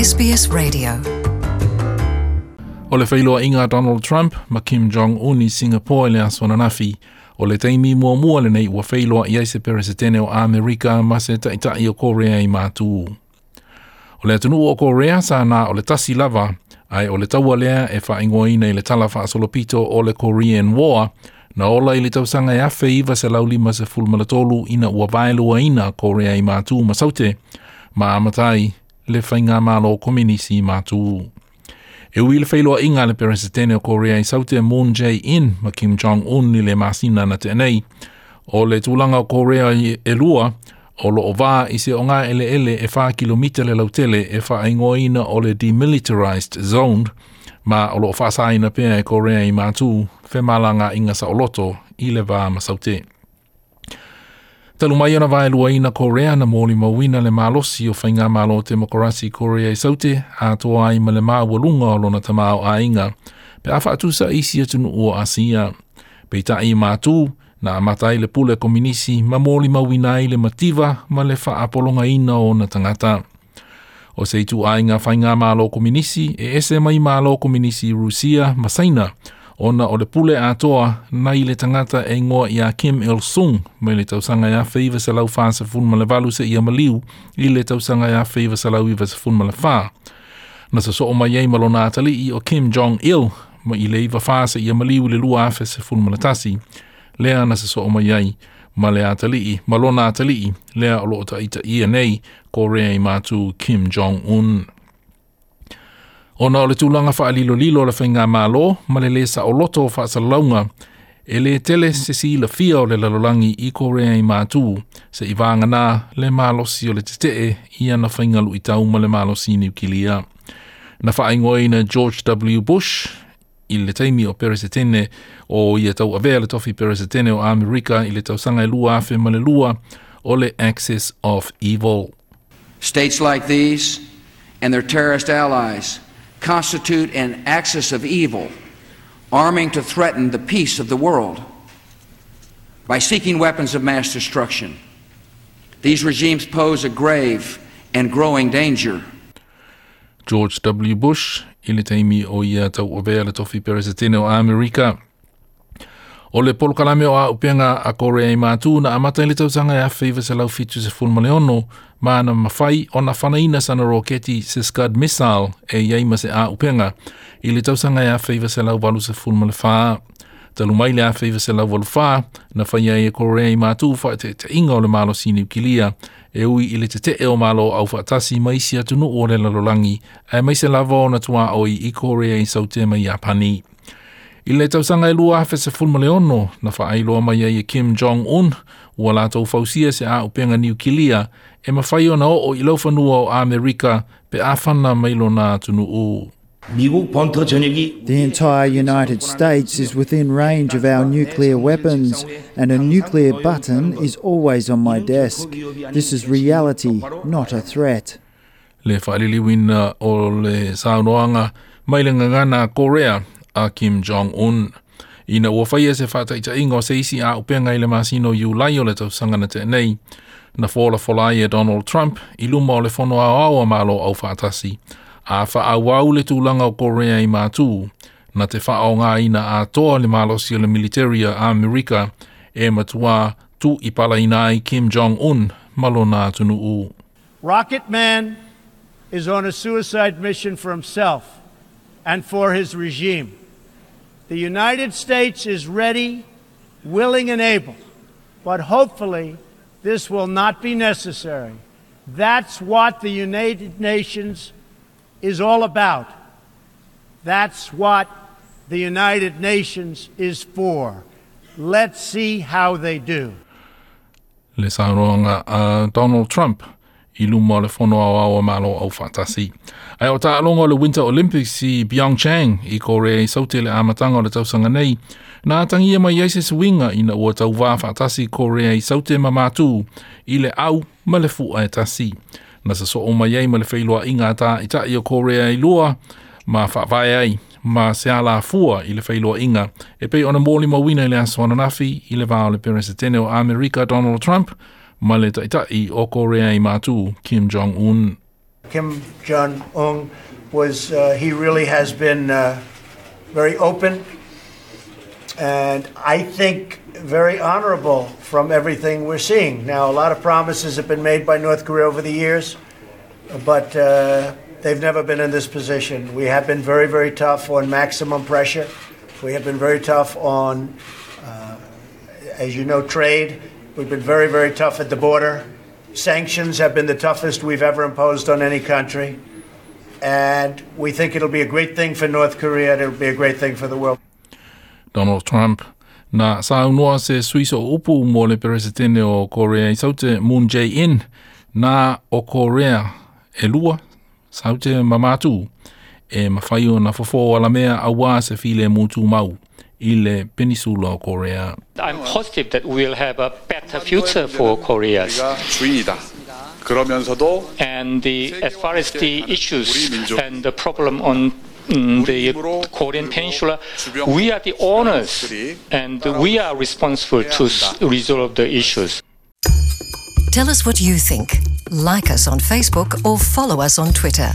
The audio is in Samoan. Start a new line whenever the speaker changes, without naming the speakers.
SBS Radio.
O le feiloaiga a Donald Trump ma Kim Jong-un i Singapore i le aso ananafi, o le taimi muamua lenei ua feiloai ai se Peresetene o Amerika ma se Taitai o Korea i Matū. O le atunuu o Korea sa na o le tasi lava, ae o le taua lea e faaigoaina i le tala faasolopito o le Korean War, na ola i le tausaga e 1953 ina ua vaeluaina Korea i Matū ma Saute, ma amata ai le faigamalo kominisi i Matū. E ui i le feiloaiga a le Peresetene o Korea i Saute Moon Jae-in ma Kim Jong-un i le masina na tea nei, o le tulaga o Korea e lua o loo va i se ogaeleele e 4 kilomita le lautele e faaigoaina o le Demilitarized Zone, ma o loo faasaina pea e Korea i Matū femalagaaiga saoloto i le va ma Saute. Talu mai ona vaeluaina Korea na molimauina le malosi o faigamalo temokarasi Korea i Saute atoa ai ma le maualuga o lona tamaoaiga pe a faatusa i isi atunuu o Asia. Peitai i Matū, na amata ai le pule kominisi ma molimauina ai le mativa ma le faapologaina o ona tagata. O se ituaiga faigamalo kominisi e ese mai malo kominisi Rusia ma Saina, ona o le pule atoa nai le tagata e igoa ia Kim Il-sung mai le tausaga e 1948 seia maliu i le tausaga e 1994. Na sosoo mai ai ma lona atalii o Kim Jong-il mai i le 94 seia maliu i le 2011. Lea na sosoo mai ai ma le atalii, ma lona atalii, lea o loo taitaia nei Korea i Matū Kim Jong-un. Ona o le tulaga faalilolilo o le faigamalo ma le lē saoloto o faasalalauga, e lē tele se silafia o le lalolagi i Korea i Matū se'i vāganā le malosi o le tetee i ana faiga luitau ma le malosi niukilia. Na faaigoaina George W. Bush i le taimi o Peresetene o ia tauavea le tofi Peresetene o Amerika i le tausaga e 2002 o le Axis of Evil.
States like these and their terrorist allies constitute an axis of evil, arming to threaten the peace of the world by seeking weapons of mass destruction. These regimes pose a grave and growing danger.
George W. Bush i le taimi o ia tauavea le tofi Peresetene o Amerika. O le polokalame o auupega a Korea i Matū na amata i le tausaga e 1976 ma na mafai ona fanaina sana roketi se Scud missile e i ai ma se auupega i le tausaga e 1984. Talu mai le 1984 na faia ai e Korea i Matū faateetaiga o le malosi niukilia e ui i le tetee o Malo Aufaatasi ma isi atunuu o le lalolagi aemaise lava ona tuaoi i Korea i Saute ma Iapani. I le tausaga e 2016 na faailoa mai ai e Kim Jong-un ua latou fausia se auupega niukilia e mafai ona oo i laufanua o Amerika pe a fana mai lona atunuu.
The entire United States is within range of our nuclear weapons, and a nuclear button is always on my desk. This is reality, not a threat.
Le faaliliuina o le saunoaga mai le gagana a Korea a Kim Jong-un. Ina ua faia se faataitaiga o se isi auupega i le masina o Iulai o le tausaga na tea nei, na folafola ai e Donald Trump i luma o le Fono Aoao a Malo Aufaatasi, a faaauau le tulaga o Korea i Matū, na te faaaogaina atoa le malosi o le militeri a Amerika e matuā tuuipalaina ai Kim Jong-un ma lona atunuu.
Rocket Man is on a suicide mission for himself and for his regime. The United States is ready, willing, and able, but hopefully this will not be necessary. That's what the United Nations is all about. That's what the United Nations is for. Let's see how they do.
Le saunoaga a Donald Trump i luma o le Fono Aoao a Malo Aufaatasi. Ae o taaloga o le Winter Olympics i Pyeongchang i Korea i Saute i le amataga o le tausaga nei, na atagia mai ai se suiga ina ua tauvā faatasi Korea i Saute ma Matū i le au ma le fua e tasi. Na sosoo mai ai ma le feiloaiga a taitai o Korea e lua ma faavae ai ma se alafua i le feiloaiga e pei ona molimauina i le aso ananafi i le va o le Peresetene o Amerika Donald Trump ma le Taitai o Korea i Matū Kim Jong-un.
Kim Jong Un was, he really has been very open and I think very honorable from everything we're seeing. Now, a lot of promises have been made by North Korea over the years, but they've never been in this position. We have been very, very tough on maximum pressure. We have been very tough on, as you know, trade. We've been very, very tough at the border. Sanctions have been the toughest we've ever imposed on any country. And we think it'll be a great thing for North Korea and it'll be a great thing for the world.
Donald Trump na saunoa se sui sooupu mo le Peresetene o Korea i Saute Moon Jae-in na o Korea e lua Saute ma Matu e mafai ona fofo alamea auā se filemu tumau i le Penisula o Korea.
I'm positive that we'll have a better future for Koreas.
주인이다. 그러면서도
And as far as the issues and the problem on the Korean Peninsula, we are the owners and we are responsible to resolve the issues.
Tell us what you think. Like us on Facebook or follow us on Twitter.